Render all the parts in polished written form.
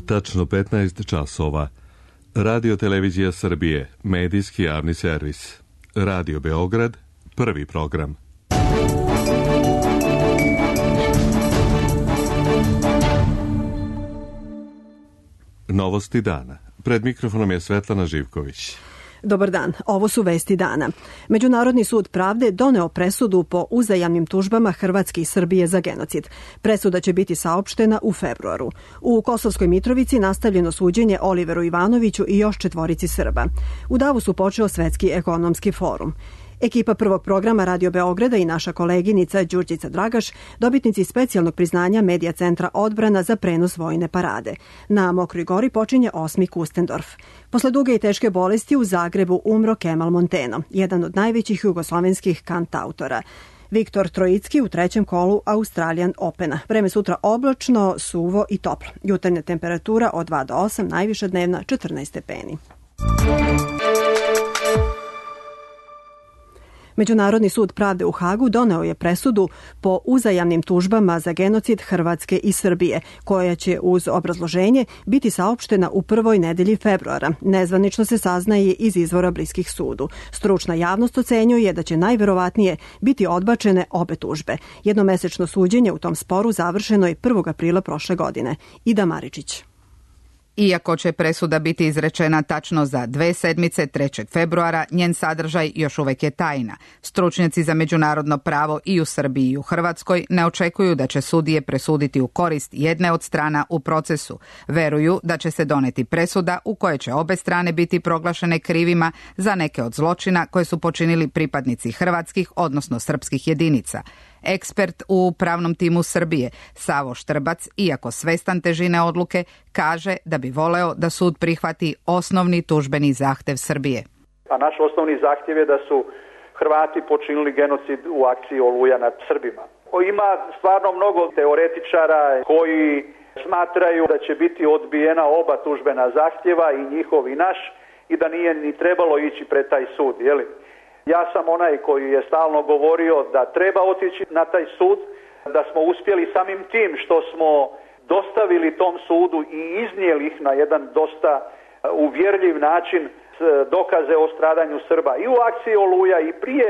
Tačno 15 časova. Radio Televizija Srbije, medijski javni servis. Radio Beograd, prvi program. Novosti dana. Pred mikrofonom je Svetlana Živković. Dobar dan, ovo su vesti dana. Međunarodni sud pravde doneo presudu po uzajamnim tužbama Hrvatske i Srbije za genocid. Presuda će biti saopštena u februaru. U Kosovskoj Mitrovici nastavljeno suđenje Oliveru Ivanoviću i još 4 Srba. U Davosu počeo Svetski ekonomski forum. Ekipa prvog programa Radio Beograda i naša koleginica Đurđica Dragaš, dobitnici specijalnog priznanja Medija centra Odbrana za prenos vojne parade. Na Mokroj Gori počinje 8. Kustendorf. Posle duge i teške bolesti u Zagrebu umro Kemal Monteno, jedan od najvećih jugoslovenskih kantautora. Viktor Trojicki u 3. kolu Australian Opena. Vreme sutra oblačno, suvo i toplo. Jutarnja temperatura od 2 do 8, najviša dnevna 14 stepeni. Međunarodni sud pravde u Hagu doneo je presudu po uzajamnim tužbama za genocid Hrvatske i Srbije, koja će uz obrazloženje biti saopštena u prvoj nedelji februara. Nezvanično se saznaje iz izvora bliskih sudu. Stručna javnost ocenjuje da će najverovatnije biti odbačene obe tužbe. Jednomesečno suđenje u tom sporu završeno je 1. aprila prošle godine. Ida Maričić. Iako će presuda biti izrečena tačno za 2 sedmice, 3. februara, njen sadržaj još uvek je tajna. Stručnjaci za međunarodno pravo i u Srbiji i u Hrvatskoj ne očekuju da će sudije presuditi u korist jedne od strana u procesu. Veruju da će se doneti presuda u kojoj će obe strane biti proglašene krivima za neke od zločina koje su počinili pripadnici hrvatskih, odnosno srpskih jedinica. Ekspert u pravnom timu Srbije, Savo Štrbac, iako svestan težine odluke, kaže da bi voleo da sud prihvati osnovni tužbeni zahtev Srbije. A naš osnovni zahtjev je da su Hrvati počinili genocid u akciji Oluja nad Srbima. Ima stvarno mnogo teoretičara koji smatraju da će biti odbijena oba tužbena zahtjeva, i njihov i naš, i da nije ni trebalo ići pred taj sud, jeli? Ja sam onaj koji je stalno govorio da treba otići na taj sud, da smo uspjeli samim tim što smo dostavili tom sudu i iznijeli ih na jedan dosta uvjerljiv način dokaze o stradanju Srba i u akciji Oluja i prije,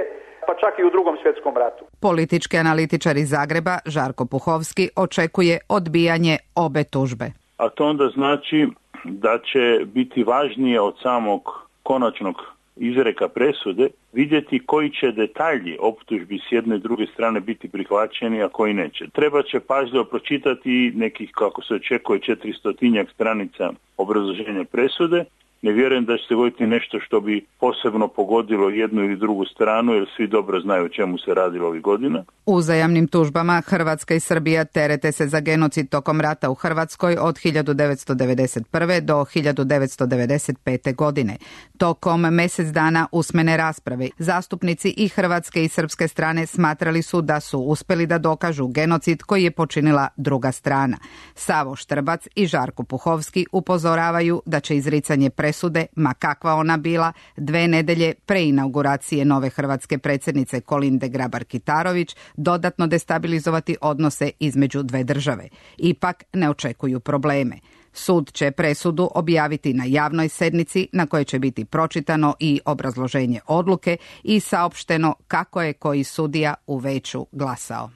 pa čak i u Drugom svjetskom ratu. Politički analitičar iz Zagreba, Žarko Puhovski, očekuje odbijanje obe tužbe. A to onda znači da će biti važnije od samog konačnog izreka presude vidjeti koji će detalji optužbi s jedne i druge strane biti prihvaćeni, a koji neće. Treba će pažljivo pročitati nekih, kako se očekuje, 400 stranica obrazloženja presude. Ne vjerujem da će se dogoditi nešto što bi posebno pogodilo jednu ili drugu stranu, jer svi dobro znaju o čemu se radilo ovih godina. Uzajamnim tužbama Hrvatska i Srbija terete se za genocid tokom rata u Hrvatskoj od 1991. do 1995. godine. Tokom mjesec dana usmene rasprave zastupnici i hrvatske i srpske strane smatrali su da su uspjeli da dokažu genocid koji je počinila druga strana. Savo Štrbac i Žarko Puhovski upozoravaju da će izricanje presude, ma kakva ona bila, 2 nedelje pre inauguracije nove hrvatske predsjednice Kolinde Grabar-Kitarović dodatno destabilizovati odnose između dve države. Ipak ne očekuju probleme. Sud će presudu objaviti na javnoj sednici na kojoj će biti pročitano i obrazloženje odluke i saopšteno kako je koji sudija u veću glasao.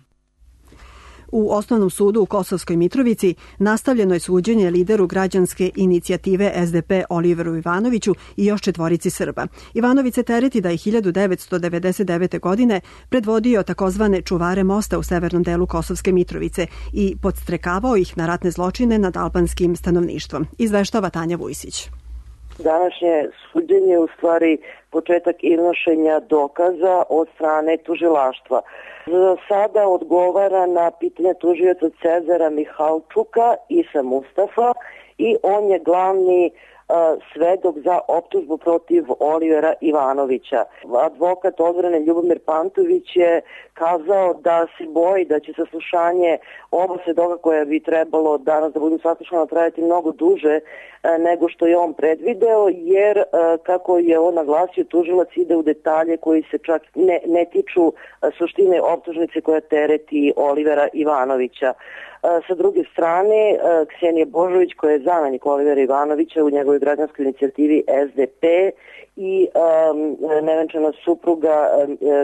U Osnovnom sudu u Kosovskoj Mitrovici nastavljeno je suđenje lideru građanske inicijative SDP Oliveru Ivanoviću i još 4 Srba. Ivanović se tereti da je 1999. godine predvodio takozvane čuvare mosta u severnom delu Kosovske Mitrovice i podstrekavao ih na ratne zločine nad albanskim stanovništvom. Izveštava Tanja Vujsić. Današnje suđenje je u stvari početak iznošenja dokaza od strane tužilaštva. Za sada odgovara na pitanje tužioca Cezara Mihalčuka Isa Mustafa i on je glavni svedok za optužbu protiv Olivera Ivanovića. Advokat odbrane Ljubomir Pantović je kazao da se boji da će saslušanje oba svedoka koja bi trebalo danas da budu saslušana trajati mnogo duže nego što je on predvideo, jer kako je on naglasio, tužilac ide u detalje koji se čak ne tiču suštine optužnice koja tereti Olivera Ivanovića. Sa druge strane, Ksenija Božović, koja je zamenik Olivera Ivanovića u njegovoj građanskoj inicijativi SDP, i nevenčana supruga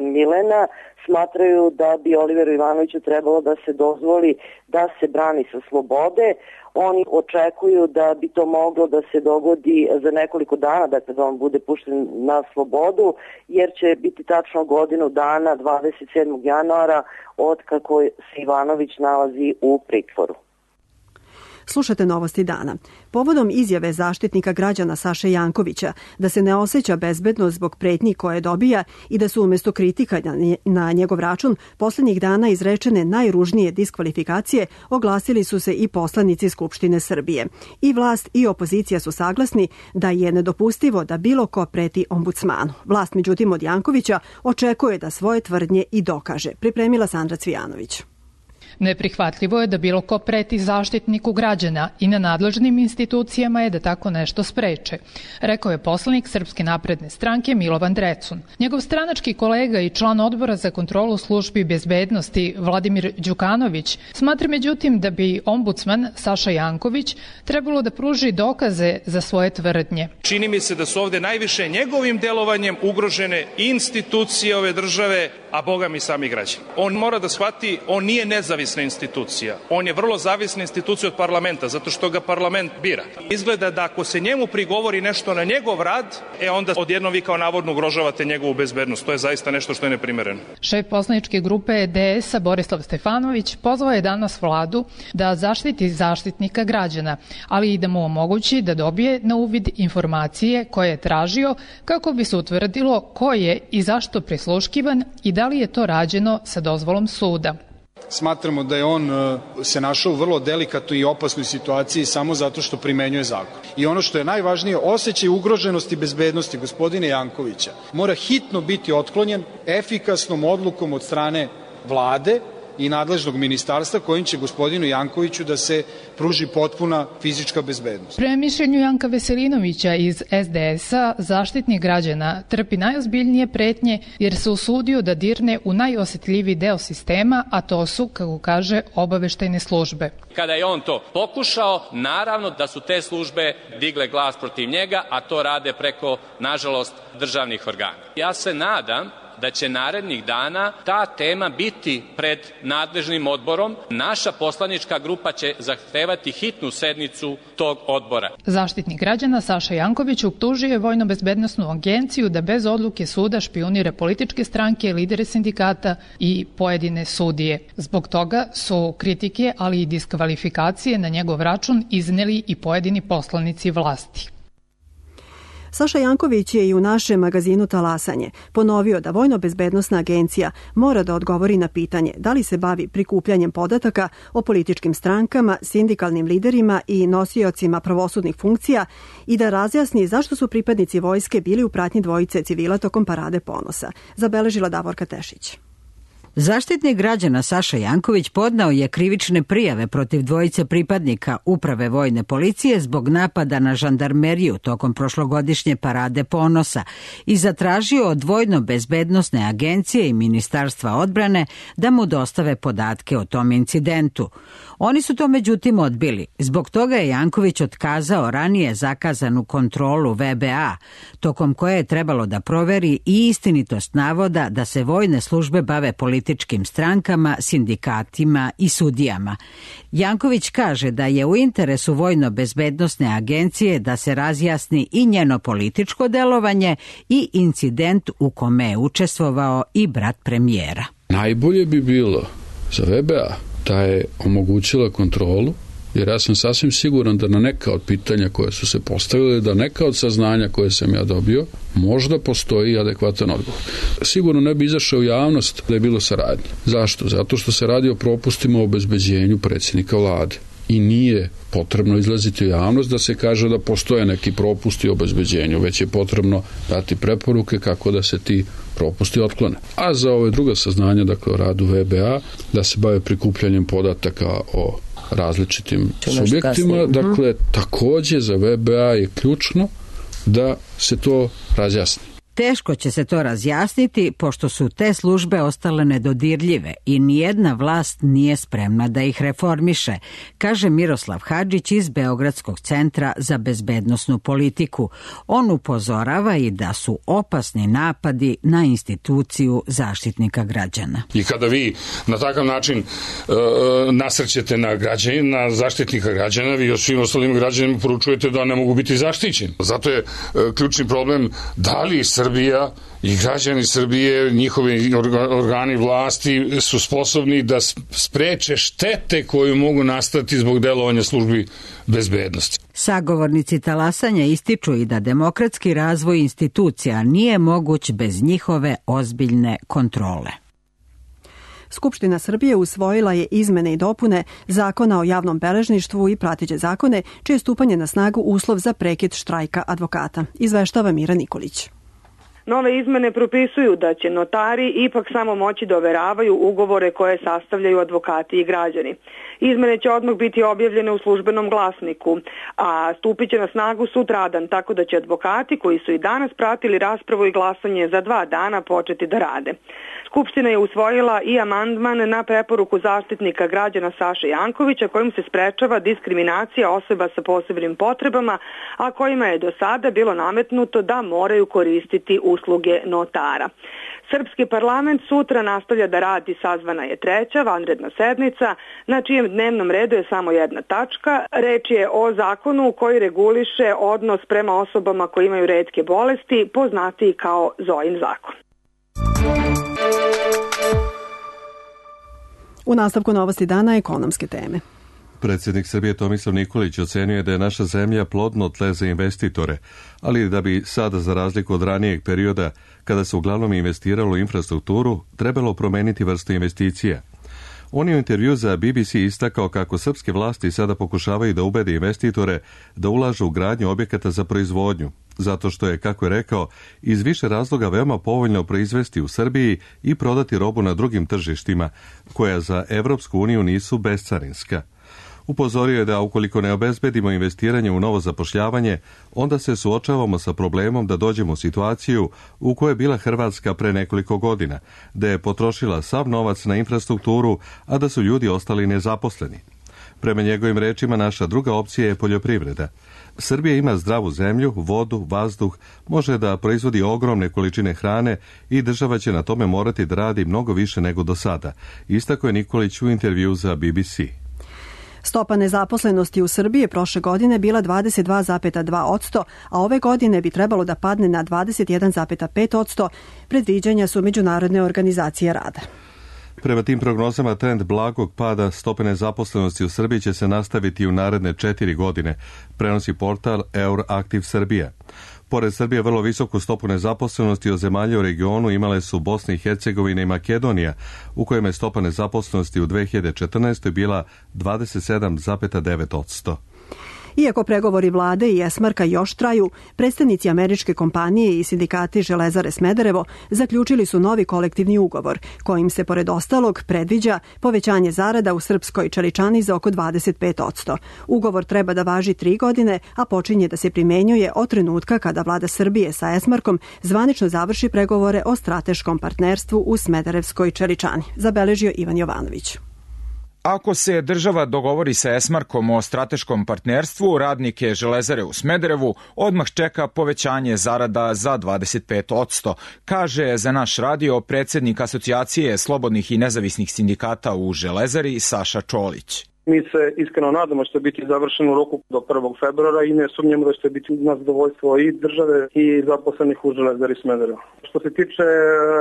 Milena smatraju da bi Oliveru Ivanoviću trebalo da se dozvoli da se brani sa slobode. Oni očekuju da bi to moglo da se dogodi za nekoliko dana, dakle da on bude pušten na slobodu, jer će biti tačno godinu dana, 27. januara, od kako se Ivanović nalazi u pritvoru. Slušate Novosti dana. Povodom izjave zaštitnika građana Saše Jankovića da se ne osjeća bezbedno zbog pretnji koje dobija i da su umjesto kritika na njegov račun posljednjih dana izrečene najružnije diskvalifikacije, oglasili su se i poslanici Skupštine Srbije. I vlast i opozicija su saglasni da je nedopustivo da bilo ko preti ombudsmanu. Vlast, međutim, od Jankovića očekuje da svoje tvrdnje i dokaže. Pripremila Sandra Cvijanović. Neprihvatljivo je da bilo ko preti zaštitniku građana i na nadležnim institucijama je da tako nešto spreče, rekao je poslanik Srpske napredne stranke Milovan Drecun. Njegov stranački kolega i član odbora za kontrolu službi bezbednosti Vladimir Đukanović smatra međutim da bi ombudsman Saša Janković trebalo da pruži dokaze za svoje tvrdnje. Čini mi se da su ovde najviše njegovim delovanjem ugrožene institucije ove države, a boga mi sami građani. On mora da shvati, on nije nezavisna institucija. On je vrlo zavisna institucija od parlamenta, zato što ga parlament bira. Izgleda da ako se njemu prigovori nešto na njegov rad, onda odjednom vi kao navodno ugrožavate njegovu bezbednost. To je zaista nešto što je neprimereno. Šef poslaničke grupe DS-a Borislav Stefanović pozvao je danas vladu da zaštiti zaštitnika građana, ali i da mu omogući da dobije na uvid informacije koje je tražio kako bi se utvrdilo ko je i zašto prisluškivan i da li je to rađeno sa dozvolom suda. Smatramo da je on se našao u vrlo delikatnoj i opasnoj situaciji samo zato što primenjuje zakon. I ono što je najvažnije, osjećaj ugroženosti bezbednosti gospodine Jankovića mora hitno biti otklonjen efikasnom odlukom od strane vlade i nadležnog ministarstva kojim će gospodinu Jankoviću da se pruži potpuna fizička bezbednost. Prema mišljenju Janka Veselinovića iz SDS-a, zaštitnik građana trpi najozbiljnije pretnje jer se usudio da dirne u najosetljiviji deo sistema, a to su, kako kaže, obaveštajne službe. Kada je on to pokušao, naravno da su te službe digle glas protiv njega, a to rade preko, nažalost, državnih organa. Ja se nadam da će narednih dana ta tema biti pred nadležnim odborom. Naša poslanička grupa će zahtevati hitnu sednicu tog odbora. Zaštitnik građana Saša Janković optužio je Vojno-bezbednosnu agenciju da bez odluke suda špijunira političke stranke, lidere sindikata i pojedine sudije. Zbog toga su kritike, ali i diskvalifikacije na njegov račun izneli i pojedini poslanici vlasti. Saša Janković je i u našem magazinu Talasanje ponovio da Vojno-bezbednosna agencija mora da odgovori na pitanje da li se bavi prikupljanjem podataka o političkim strankama, sindikalnim liderima i nosiocima pravosudnih funkcija i da razjasni zašto su pripadnici vojske bili u pratnji dvojice civila tokom Parade ponosa, zabeležila Davorka Tešić. Zaštitnik građana Saša Janković podneo je krivične prijave protiv dvojice pripadnika Uprave vojne policije zbog napada na žandarmeriju tokom prošlogodišnje Parade ponosa i zatražio od Vojno-bezbednosne agencije i Ministarstva odbrane da mu dostave podatke o tom incidentu. Oni su to međutim odbili. Zbog toga je Janković otkazao ranije zakazanu kontrolu VBA, tokom koje je trebalo da proveri i istinitost navoda da se vojne službe bave političkim strankama, sindikatima i sudijama. Janković kaže da je u interesu Vojno-bezbednosne agencije da se razjasni i njeno političko delovanje i incident u kome je učestvovao i brat premijera. Najbolje bi bilo za VBA da je omogućila kontrolu, jer ja sam sasvim siguran da na neka od pitanja koje su se postavile, da neka od saznanja koje sam ja dobio, možda postoji adekvatan odgovor. Sigurno ne bi izašao u javnost da je bilo saradnje. Zašto? Zato što se radi o propustima u obezbeđenju predsjednika vlade. i nije potrebno izlaziti u javnost da se kaže da postoje neki propusti u obezbeđenju, već je potrebno dati preporuke kako da se ti propusti otklone. A za ove druga saznanja, dakle o radu VBA, da se bave prikupljanjem podataka o različitim subjektima, dakle takođe za VBA je ključno da se to razjasni. Teško će se to razjasniti, pošto su te službe ostale nedodirljive i nijedna vlast nije spremna da ih reformiše, kaže Miroslav Hadžić iz Beogradskog centra za bezbednosnu politiku. On upozorava i da su opasni napadi na instituciju Zaštitnika građana. I kada vi na takav način nasrćete na građanina, na Zaštitnika građana, vi o svim ostalim građanima poručujete da ne mogu biti zaštićeni. Zato je ključni problem da li Srbija i građani Srbije, njihovi organi vlasti su sposobni da spreče štete koje mogu nastati zbog delovanja službi bezbednosti. Sagovornici talasanja ističu i da demokratski razvoj institucija nije moguć bez njihove ozbiljne kontrole. Skupština Srbije usvojila je izmene i dopune Zakona o javnom beležništvu i prateće zakone, čije stupanje na snagu uslov za prekid štrajka advokata. Izveštava Mira Nikolić. Nove izmene propisuju da će notari ipak samo moći da overavaju ugovore koje sastavljaju advokati i građani. Izmene će odmah biti objavljene u službenom glasniku, a stupit će na snagu sutradan, tako da će advokati koji su i danas pratili raspravu i glasanje za 2 dana početi da rade. Skupština je usvojila i amandman na preporuku Zaštitnika građana Saše Jankovića kojim se sprečava diskriminacija osoba sa posebnim potrebama, a kojima je do sada bilo nametnuto da moraju koristiti usluge notara. Srpski parlament sutra nastavlja da radi, sazvana je 3. vanredna sednica, na čijem dnevnom redu je samo jedna tačka. Reč je o zakonu koji reguliše odnos prema osobama koji imaju retke bolesti, poznatiji kao Zojin zakon. U nastavku novosti dana ekonomske teme. Predsjednik Srbije Tomislav Nikolić ocenio da je naša zemlja plodno tle za investitore, ali da bi sada, za razliku od ranijeg perioda, kada se uglavnom investiralo u infrastrukturu, trebalo promeniti vrstu investicija. On je u intervju za BBC istakao kako srpske vlasti sada pokušavaju da ubede investitore da ulažu u gradnju objekata za proizvodnju, zato što je, kako je rekao, iz više razloga veoma povoljno proizvesti u Srbiji i prodati robu na drugim tržištima, koja za Evropsku uniju nisu bescarinska. Upozorio je da ukoliko ne obezbedimo investiranje u novo zapošljavanje, onda se suočavamo sa problemom da dođemo u situaciju u kojoj je bila Hrvatska pre nekoliko godina, da je potrošila sav novac na infrastrukturu, a da su ljudi ostali nezaposleni. Prema njegovim rečima, naša druga opcija je poljoprivreda. Srbija ima zdravu zemlju, vodu, vazduh, može da proizvodi ogromne količine hrane i država će na tome morati da radi mnogo više nego do sada, istakao je Nikolić u intervju za BBC. Stopa nezaposlenosti u Srbiji je prošle godine bila 22,2%, a ove godine bi trebalo da padne na 21,5%, predviđanja su Međunarodne organizacije rada. Prema tim prognozama, trend blagog pada stope nezaposlenosti u Srbiji će se nastaviti u naredne 4 godine, prenosi portal Euroaktiv Srbija. Pored Srbije, vrlo visoku stopu nezaposlenosti od zemalja u regionu imale su Bosna i Hercegovina i Makedonija, u kojima je stopa nezaposlenosti u 2014. bila 27,9%. Iako pregovori vlade i Esmarka još traju, predstavnici američke kompanije i sindikati Železare Smederevo zaključili su novi kolektivni ugovor, kojim se pored ostalog predviđa povećanje zarada u srpskoj čeličani za oko 25%. Ugovor treba da važi 3 godine, a počinje da se primenjuje od trenutka kada vlada Srbije sa Esmarkom zvanično završi pregovore o strateškom partnerstvu u Smederevskoj čeličani, zabeležio Ivan Jovanović. Ako se država dogovori sa Esmarkom o strateškom partnerstvu, radnike Železare u Smederevu odmah čeka povećanje zarada za 25%, kaže za naš radio predsjednik Asocijacije slobodnih i nezavisnih sindikata u Železari Saša Čolić. Mi se iskreno nadamo što će biti završeno u roku do 1. februara i ne sumnjamo da će biti na zadovoljstvo i države i zaposlenih u Železari Smederevo. Što se tiče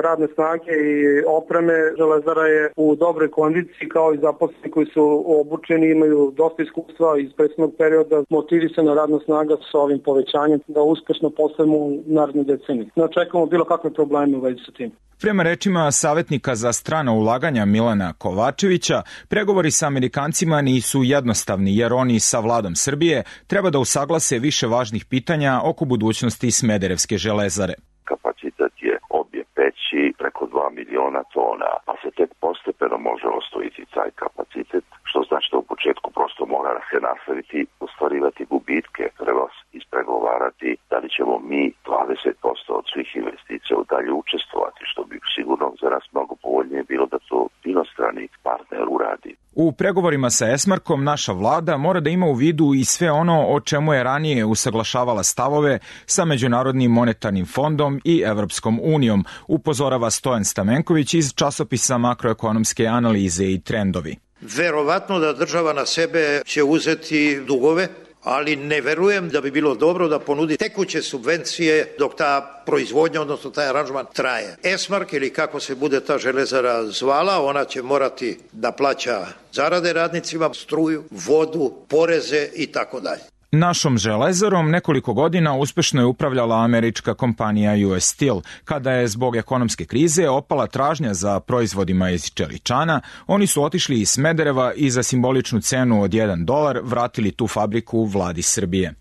radne snage i opreme, Železara je u dobroj kondiciji, kao i zaposleni koji su obučeni, imaju dosta iskustva iz prethodnog perioda, motivisana radna snaga sa ovim povećanjem da uspešno postavimo u narednoj deceniji. Ne očekujemo bilo kakve probleme u vezi sa tim. Prema rečima savjetnika za strana ulaganja Milana Kovačevića, pregovori sa Amerikancima pregovorima nisu jednostavni, jer oni sa vladom Srbije treba da usaglase više važnih pitanja oko budućnosti Smederevske železare. Kapacitet je obje peći preko 2 miliona tona, pa se tek postepeno može osvojiti taj kapacitet, što znači da u početku prosto mora se nastaviti ostvarivati gubitke. Treba ispregovarati da li ćemo mi 20% od svih investicija dalje učestvovati, što bi sigurno za nas mnogo povoljnije bilo da to inostrani partner uradi. U pregovorima sa Esmarkom naša vlada mora da ima u vidu i sve ono o čemu je ranije usaglašavala stavove sa Međunarodnim monetarnim fondom i Evropskom unijom, upozorava Stojan Stamenković iz časopisa Makroekonomske analize i trendovi. Verovatno da država na sebe će uzeti dugove, ali ne verujem da bi bilo dobro da ponudi tekuće subvencije dok ta proizvodnja, odnosno taj aranžman traje. Esmark ili kako se bude ta železara zvala, ona će morati da plaća zarade radnicima, struju, vodu, poreze i tako dalje. Našom železarom nekoliko godina uspešno je upravljala američka kompanija US Steel. Kada je zbog ekonomske krize opala tražnja za proizvodima iz čeličana, oni su otišli iz Smedereva i za simboličnu cenu od $1 vratili tu fabriku vladi Srbije.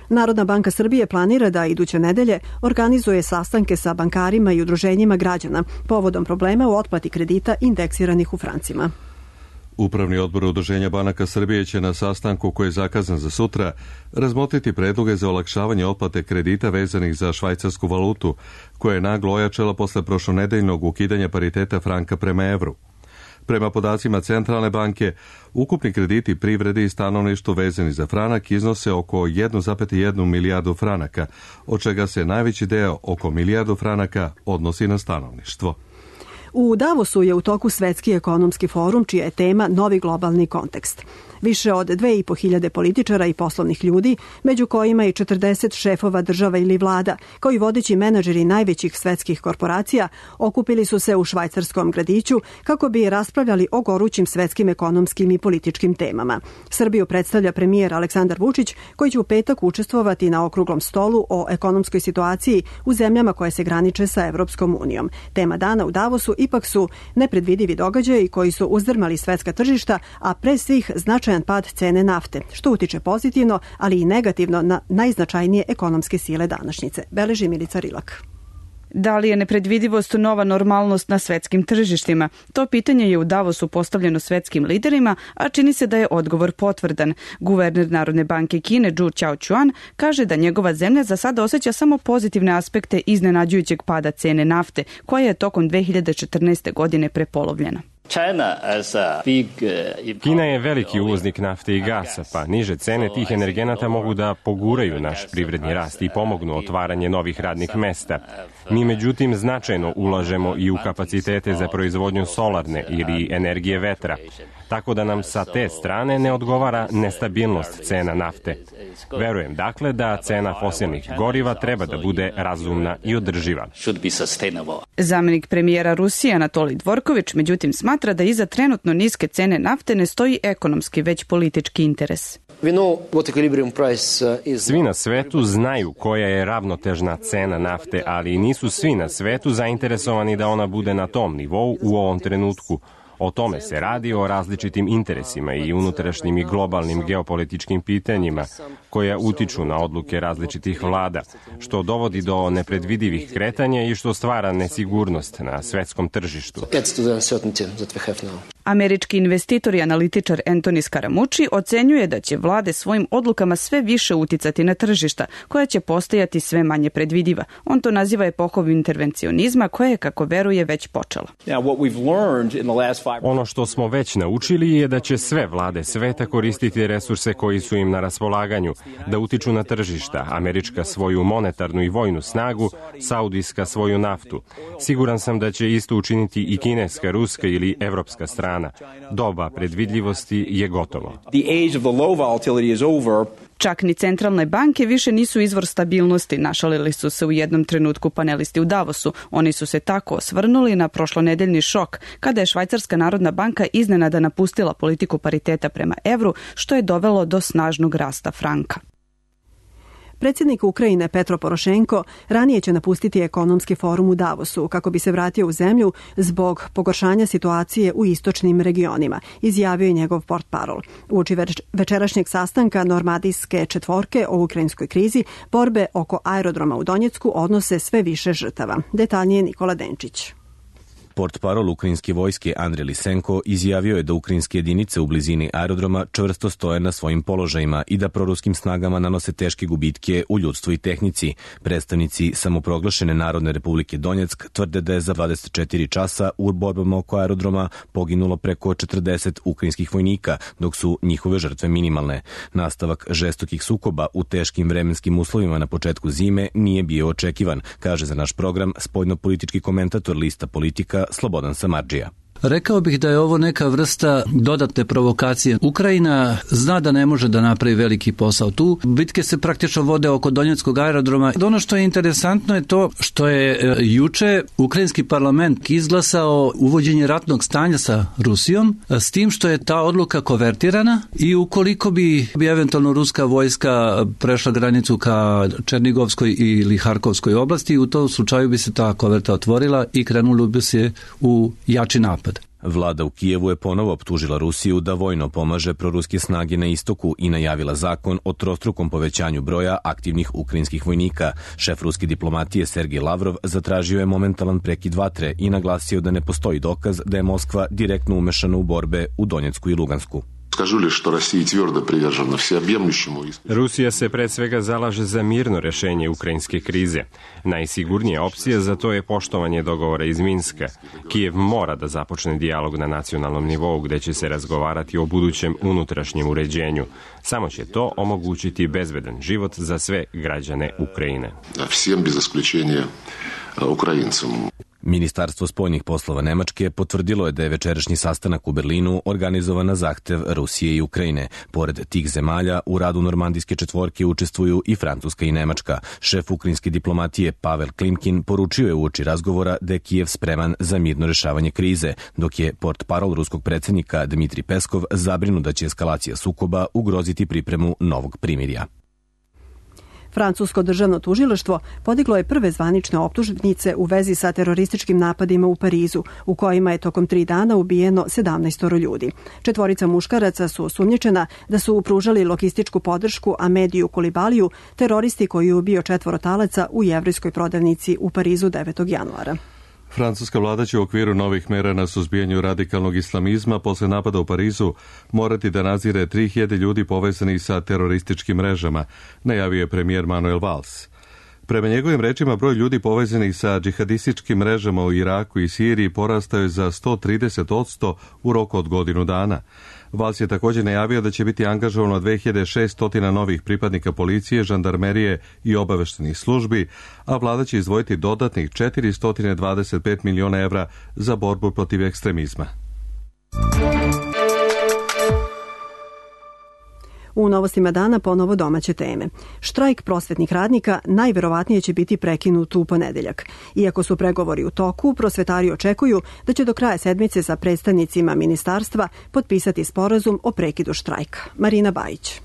Narodna banka Srbije planira da iduće nedelje organizuje sastanke sa bankarima i udruženjima građana povodom problema u otplati kredita indeksiranih u francima. Upravni odbor Udruženja banaka Srbije će na sastanku koji je zakazan za sutra razmotriti predloge za olakšavanje otplate kredita vezanih za švajcarsku valutu, koja je naglo ojačala posle prošlonedeljnog ukidanja pariteta franka prema evru. Prema podacima Centralne banke, ukupni krediti privredi i stanovništvu vezani za franak iznose oko 1,1 milijardu franaka, od čega se najveći deo, oko milijardu franaka, odnosi na stanovništvo. U Davosu je u toku Svetski ekonomski forum, čija je tema novi globalni kontekst. Više od 2.500 političara i poslovnih ljudi, među kojima i 40 šefova država ili vlada, kao i vodeći menadžeri najvećih svetskih korporacija, okupili su se u švajcarskom gradiću kako bi raspravljali o gorućim svetskim ekonomskim i političkim temama. Srbiju predstavlja premijer Aleksandar Vučić, koji će u petak učestvovati na okruglom stolu o ekonomskoj situaciji u zemljama koje se graniče sa Evropskom unijom. Tema dana u Davosu ipak su nepredvidivi događaji koji su uzdrmali svetska tržišta, a pre svih značajan pad cene nafte, što utiče pozitivno, ali i negativno na najznačajnije ekonomske sile današnjice, beleži Milica Rilak. Da li je nepredvidivost nova normalnost na svetskim tržištima? To pitanje je u Davosu postavljeno svetskim liderima, a čini se da je odgovor potvrdan. Guverner Narodne banke Kine Zhu Qiaochuan kaže da njegova zemlja za sada osjeća samo pozitivne aspekte iznenađujućeg pada cene nafte, koja je tokom 2014. godine prepolovljena. Kina je veliki uvoznik nafte i gasa, pa niže cene tih energenata mogu da poguraju naš privredni rast i pomognu otvaranje novih radnih mesta. Mi međutim značajno ulažemo i u kapacitete za proizvodnju solarne ili energije vetra, tako da nam sa te strane ne odgovara nestabilnost cena nafte. Verujem dakle da cena fosilnih goriva treba da bude razumna i održiva. Zamenik premijera Rusije Anatolij Dvorković međutim smatra da iza trenutno niske cene nafte ne stoji ekonomski, već politički interes. Svi na svetu znaju koja je ravnotežna cena nafte, ali nisu svi na svetu zainteresovani da ona bude na tom nivou u ovom trenutku. O tome se radi, o različitim interesima i unutrašnjim i globalnim geopolitičkim pitanjima koja utiču na odluke različitih vlada, što dovodi do nepredvidivih kretanja i što stvara nesigurnost na svetskom tržištu. Američki investitor i analitičar Anthony Scaramucci ocenjuje da će vlade svojim odlukama sve više uticati na tržišta, koja će postajati sve manje predvidiva. On to naziva epohom intervencionizma, koja je, kako veruje, već počela. Ono što smo već naučili je da će sve vlade sveta koristiti resurse koji su im na raspolaganju, da utiču na tržišta, američka svoju monetarnu i vojnu snagu, saudijska svoju naftu. Siguran sam da će isto učiniti i kineska, ruska ili evropska strana. Doba predvidljivosti je gotovo. Čak ni centralne banke više nisu izvor stabilnosti, našalili su se u jednom trenutku panelisti u Davosu. Oni su se tako osvrnuli na prošlonedeljni šok, kada je Švajcarska narodna banka iznenada napustila politiku pariteta prema evru, što je dovelo do snažnog rasta franka. Predsjednik Ukrajine Petro Porošenko ranije će napustiti ekonomski forum u Davosu kako bi se vratio u zemlju zbog pogoršanja situacije u istočnim regionima, izjavio je njegov portparol. Uoči večerašnjeg sastanka Normandijske četvorke o ukrajinskoj krizi, borbe oko aerodroma u Donjecku odnose sve više žrtava. Detaljnije Nikola Denčić. Portparol ukrajinske vojske Andrej Lisenko izjavio je da ukrajinske jedinice u blizini aerodroma čvrsto stoje na svojim položajima i da proruskim snagama nanose teške gubitke u ljudstvu i tehnici. Predstavnici samoproglašene Narodne republike Donjeck tvrde da je za 24 časa u borbama oko aerodroma poginulo preko 40 ukrajinskih vojnika, dok su njihove žrtve minimalne. Nastavak žestokih sukoba u teškim vremenskim uslovima na početku zime nije bio očekivan, kaže za naš program spoljnopolitički komentator lista Politika Slobodan Samardžija. Rekao bih da je ovo neka vrsta dodatne provokacije. Ukrajina zna da ne može da napravi veliki posao tu. Bitke se praktično vode oko Donjeckog aerodroma. Ono što je interesantno je to što je juče ukrajinski parlament izglasao uvođenje ratnog stanja sa Rusijom, s tim što je ta odluka konvertirana i ukoliko bi eventualno ruska vojska prešla granicu ka Černigovskoj ili Harkovskoj oblasti, u tom slučaju bi se ta konverta otvorila i krenulo bi se u jači napad. Vlada u Kijevu je ponovo optužila Rusiju da vojno pomaže proruske snage na istoku i najavila zakon o trostrukom povećanju broja aktivnih ukrajinskih vojnika. Šef ruske diplomatije Sergej Lavrov zatražio je momentalan prekid vatre i naglasio da ne postoji dokaz da je Moskva direktno umešana u borbe u Donjecku i Lugansku. Rusija se pre svega zalaže za mirno rešenje ukrajinske krize. Najsigurnija opcija za to je poštovanje dogovora iz Minska. Kijev mora da započne dijalog na nacionalnom nivou gde će se razgovarati o budućem unutrašnjem uređenju. Samo će to omogućiti bezbedan život za sve građane Ukrajine. Всем без исключения Ukrajincom. Ministarstvo spoljnih poslova Nemačke potvrdilo je da je večerašnji sastanak u Berlinu organizovan na zahtev Rusije i Ukrajine. Pored tih zemalja, u radu Normandijske četvorke učestvuju i Francuska i Nemačka. Šef ukrajinske diplomatije Pavel Klimkin poručio je uoči razgovora da je Kijev spreman za mirno rešavanje krize, dok je portparol ruskog predsjednika Dmitrij Peskov zabrinut da će eskalacija sukoba ugroziti pripremu novog primirja. Francusko državno tužilaštvo podiglo je prve zvanične optužnice u vezi sa terorističkim napadima u Parizu, u kojima je tokom 3 dana ubijeno 17 ljudi. 4 muškaraca su osumnjičena da su pružali logističku podršku Ahmediju Koulibaliju, teroristi koji je ubio 4 talaca u jevrejskoj prodavnici u Parizu 9. januara. Francuska vlada će u okviru novih mera na suzbijanju radikalnog islamizma posle napada u Parizu morati da nadzire 3000 ljudi povezanih sa terorističkim mrežama, najavio je premijer Manuel Valls. Prema njegovim rečima, broj ljudi povezanih sa džihadističkim mrežama u Iraku i Siriji porastao je za 130% u roku od godinu dana. Valls je također najavio da će biti angažovano 2600 novih pripadnika policije, žandarmerije i obaveštenih službi, a vlada će izdvojiti dodatnih 425 miliona evra za borbu protiv ekstremizma. U novostima dana ponovo domaće teme. Štrajk prosvetnih radnika najverovatnije će biti prekinut u ponedeljak. Iako su pregovori u toku, prosvetari očekuju da će do kraja sedmice sa predstavnicima ministarstva potpisati sporazum o prekidu štrajka. Marina Bajić.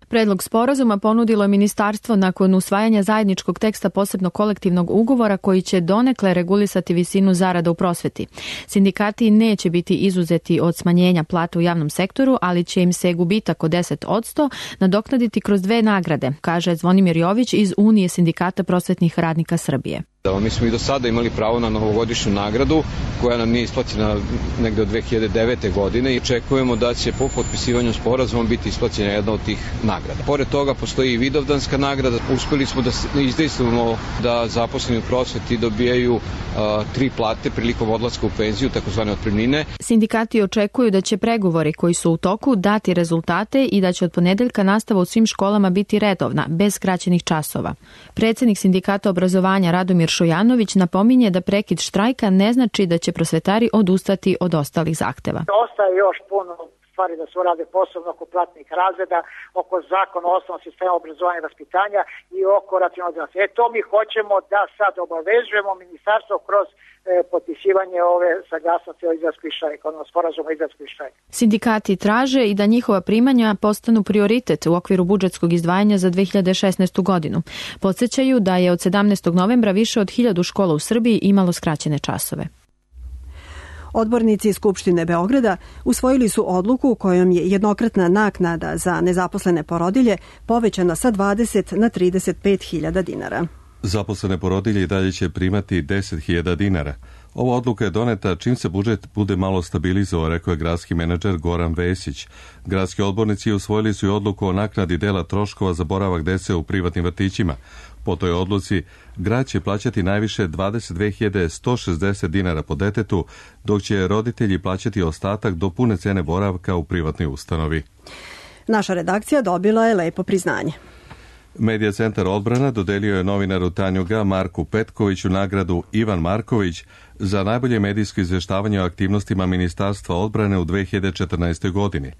Predlog sporazuma ponudilo je ministarstvo nakon usvajanja zajedničkog teksta posebnog kolektivnog ugovora koji će donekle regulisati visinu zarada u prosveti. Sindikati neće biti izuzeti od smanjenja plata u javnom sektoru, ali će im se gubitak od 10% nadoknaditi kroz 2 nagrade, kaže Zvonimir Jović iz Unije sindikata prosvetnih radnika Srbije. Mi smo i do sada imali pravo na novogodišnju nagradu koja nam nije isplaćena negde od 2009. godine i očekujemo da će po potpisivanju sporazuma biti isplaćena jedna od tih nagrada. Pored toga postoji i vidovdanska nagrada. Uspeli smo da izdejstvujemo da zaposleni u prosveti dobijaju 3 plate prilikom odlaska u penziju, takozvane otpremnine. Sindikati očekuju da će pregovori koji su u toku dati rezultate i da će od ponedeljka nastava u svim školama biti redovna, bez skraćenih časova. Predsjednik sindikata obrazovanja Radomir Šojanović napominje da prekid štrajka ne znači da će prosvetari odustati od ostalih zahteva. Ostaje još puno stvari da se urade posebno oko platnih razreda, oko zakona o osnovnom sistemu obrazovanja i vaspitanja i oko racionalizacije. To mi hoćemo da sad obavezujemo ministarstvo kroz potpisivanje ove saglasnosti o izlasku iz štrajka, odnosno sporazuma o izlasku iz štrajka. Sindikati traže i da njihova primanja postanu prioritet u okviru budžetskog izdvajanja za 2016. godinu. Podsjećaju da je od 17. novembra više od 1000 škola u Srbiji imalo skraćene časove. Odbornici Skupštine Beograda usvojili su odluku kojom je jednokratna naknada za nezaposlene porodilje povećana sa 20 na 35.000 dinara. Zaposlene porodilje i dalje će primati 10.000 dinara. Ova odluka je doneta čim se budžet bude malo stabilizovao, rekao je gradski menadžer Goran Vesić. Gradski odbornici usvojili su i odluku o naknadi dela troškova za boravak dece u privatnim vrtićima. Po toj odluci, grad će plaćati najviše 22.160 dinara po detetu, dok će roditelji plaćati ostatak do pune cene boravka u privatnoj ustanovi. Naša redakcija dobila je lepo priznanje. Medija centar Odbrana dodelio je novinaru Tanjuga Marku Petkoviću nagradu Ivan Marković za najbolje medijsko izveštavanje o aktivnostima Ministarstva odbrane u 2014. godini.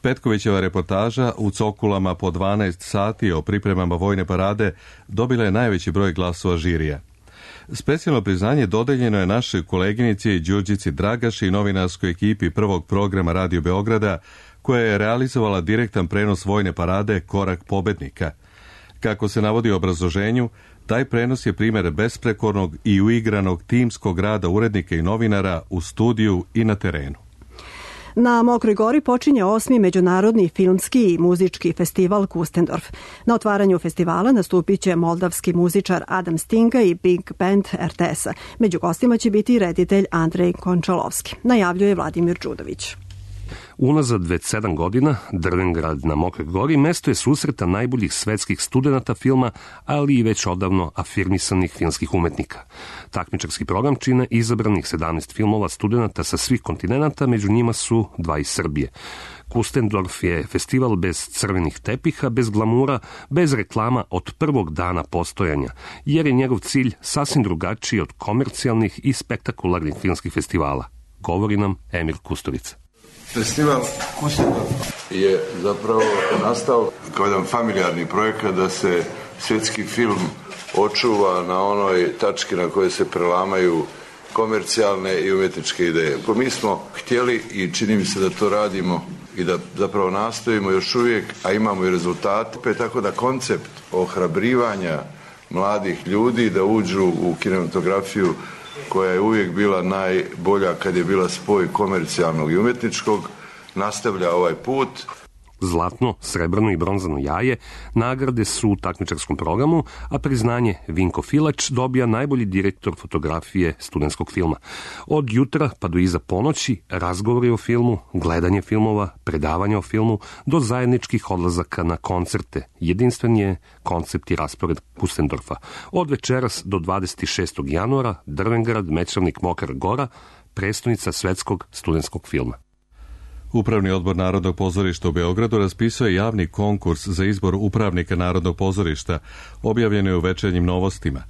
Petkovićeva reportaža u Cokulama po 12 sati o pripremama vojne parade dobila je najveći broj glasova žirija. Specijalno priznanje dodeljeno je našoj koleginici Đurđici Dragaši i novinarskoj ekipi prvog programa Radio Beograda, koja je realizovala direktan prenos vojne parade Korak pobednika. Kako se navodi u obrazloženju, taj prenos je primjer besprekornog i uigranog timskog rada urednika i novinara u studiju i na terenu. Na Mokroj Gori počinje 8. međunarodni filmski i muzički festival Kustendorf. Na otvaranju festivala nastupit će moldavski muzičar Adam Stinga i Big Band RTS-a. Među gostima će biti reditelj Andrej Končalovski, najavljuje Vladimir Đudović. Unazad već 7 godina Drvengrad na Mokroj Gori mesto je susreta najboljih svetskih studenata filma, ali i već odavno afirmisanih filmskih umetnika. Takmičarski program čine izabranih 17 filmova studenata sa svih kontinenata, među njima su 2 iz Srbije. Kustendorf je festival bez crvenih tepiha, bez glamura, bez reklama od prvog dana postojanja, jer je njegov cilj sasvim drugačiji od komercijalnih i spektakularnih filmskih festivala. Govori nam Emir Kusturica. Festival Kustendorf je zapravo nastao kao jedan familijarni projekat da se svjetski film očuva na onoj tački na kojoj se prelamaju komercijalne i umjetničke ideje. Mi smo htjeli i čini mi se da to radimo i da zapravo nastojimo još uvijek, a imamo i rezultate, tako da koncept ohrabrivanja mladih ljudi da uđu u kinematografiju koja je uvijek bila najbolja kad je bila spoj komercijalnog i umjetničkog, nastavlja ovaj put. Zlatno, srebrno i bronzano jaje nagrade su u takmičarskom programu, a priznanje Vinko Filač dobija najbolji direktor fotografije studentskog filma. Od jutra pa do iza ponoći razgovori o filmu, gledanje filmova, predavanje o filmu, do zajedničkih odlazaka na koncerte. Jedinstven je koncept i raspored Kustendorfa. Od večeras do 26. januara Drvengrad, Mečavnik, Mokra Gora, prestonica svetskog studentskog filma. Upravni odbor Narodnog pozorišta u Beogradu raspisuje javni konkurs za izbor upravnika Narodnog pozorišta, objavljeno je u Večernjim novostima.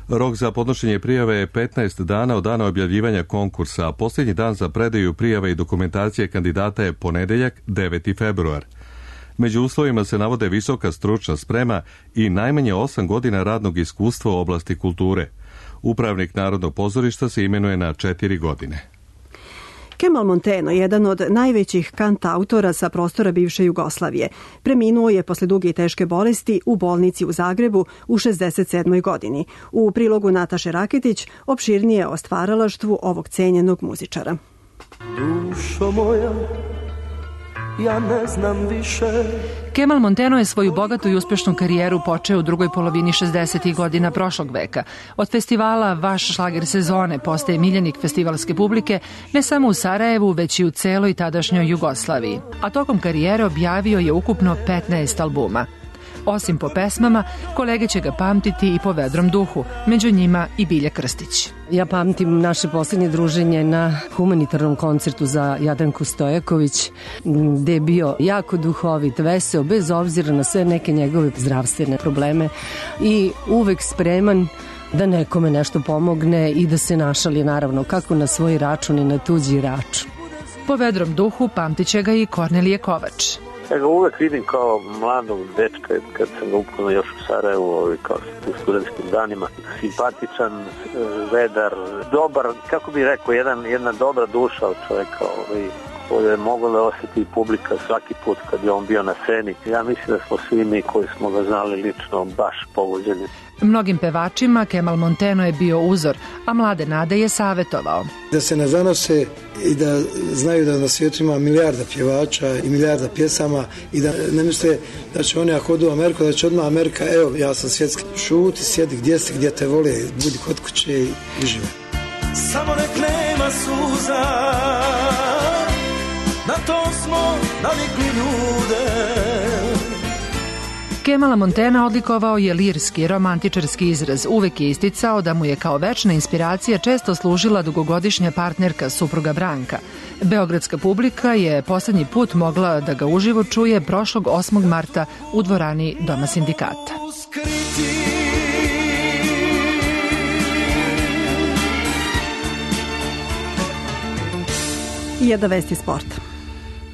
Rok za podnošenje prijave je 15 dana od dana objavljivanja konkursa, a posljednji dan za predaju prijave i dokumentacije kandidata je ponedeljak, 9. februar. Među uslovima se navode visoka stručna sprema i najmanje 8 godina radnog iskustva u oblasti kulture. Upravnik Narodnog pozorišta se imenuje na 4 godine. Kemal Monteno, jedan od najvećih kantautora sa prostora bivše Jugoslavije, preminuo je posle duge i teške bolesti u bolnici u Zagrebu u 67. godini. U prilogu Nataše Raketić opširnije o stvaralaštvu ovog cenjenog muzičara. Dušo moja, ja ne znam više. Kemal Monteno je svoju bogatu i uspešnu karijeru počeo u drugoj polovini 60. godina prošlog veka. Od festivala Vaš šlager sezone postaje miljenik festivalske publike ne samo u Sarajevu, već i u celoj tadašnjoj Jugoslaviji. A tokom karijere objavio je ukupno 15 albuma. Osim po pesmama, kolege će ga pamtiti i po vedrom duhu, među njima i Bilja Krstić. Ja pamtim naše posljednje druženje na humanitarnom koncertu za Jadranku Stojaković, gde je bio jako duhovit, veseo, bez obzira na sve neke njegove zdravstvene probleme i uvek spreman da nekome nešto pomogne i da se našali, naravno, kako na svoj račun i na tuđi račun. Po vedrom duhu pamtiće ga i Kornelije Kovač. Ja ga uvek vidim kao mladog dečka kad sam ga upoznao još u Sarajevu, kao u studentskim danima. Simpatičan, vedar, dobar, kako bih rekao, jedna dobra duša od čoveka, koju je mogla da osjeti publika svaki put kad je on bio na sceni. Ja mislim da smo svi mi koji smo ga znali lično baš pogođeni. Mnogim pevačima Kemal Monteno je bio uzor, a mlade nade je savetovao. Da se ne zanose i da znaju da na svijetu ima milijarda pjevača i milijarda pjesama i da ne misle da će oni ako odu u Ameriku, da će odmah Amerika, evo ja sam svjetski, šuti, sjedi gdje si, gdje te vole, budi kod kuće i žive. Samo nek nema suza, na to smo navikli ljude. Kemala Montena odlikovao je lirski, romantičarski izraz. Uvek je isticao da mu je kao večna inspiracija često služila dugogodišnja partnerka, supruga Branka. Beogradska publika je poslednji put mogla da ga uživo čuje prošlog 8. marta u dvorani Doma sindikata. I jedna vesti sporta.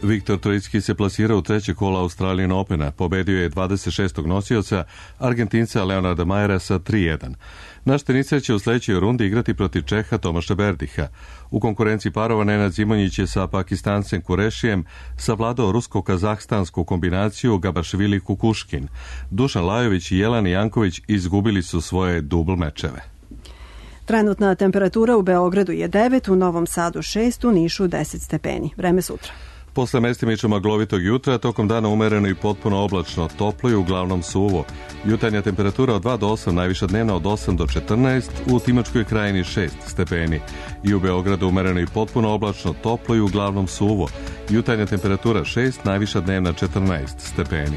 Viktor Troicki se plasirao u treće kola Australian Opena. Pobedio je 26. nosioca, Argentinca Leonarda Majera sa 3-1. Naš teniser će u sledećoj rundi igrati protiv Čeha Tomaša Berdiha. U konkurenciji parova Nenad Zimonjić je sa Pakistancem Kurešijem savladao rusko-kazahstansku kombinaciju Gabaršvili-Kukuškin. Dušan Lajović i Jelena Janković izgubili su svoje dubl mečeve. Trenutna temperatura u Beogradu je 9, u Novom Sadu 6, u Nišu 10 stepeni. Vreme sutra. Posle mestimično maglovitog jutra, tokom dana umereno i potpuno oblačno, toplo i uglavnom suvo. Jutarnja temperatura od 2 do 8, najviša dnevna od 8 do 14, u Timočkoj krajini 6 stepeni. I u Beogradu umereno i potpuno oblačno, toplo i uglavnom suvo. Jutarnja temperatura 6, najviša dnevna 14 stepeni.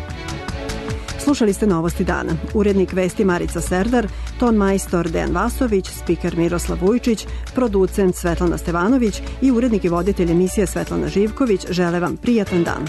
Slušali ste Novosti dana. Urednik vesti Marica Serdar, ton majstor Dejan Vasović, spiker Miroslav Vujčić, producent Svetlana Stevanović i urednik i voditelj emisije Svetlana Živković žele vam prijatan dan.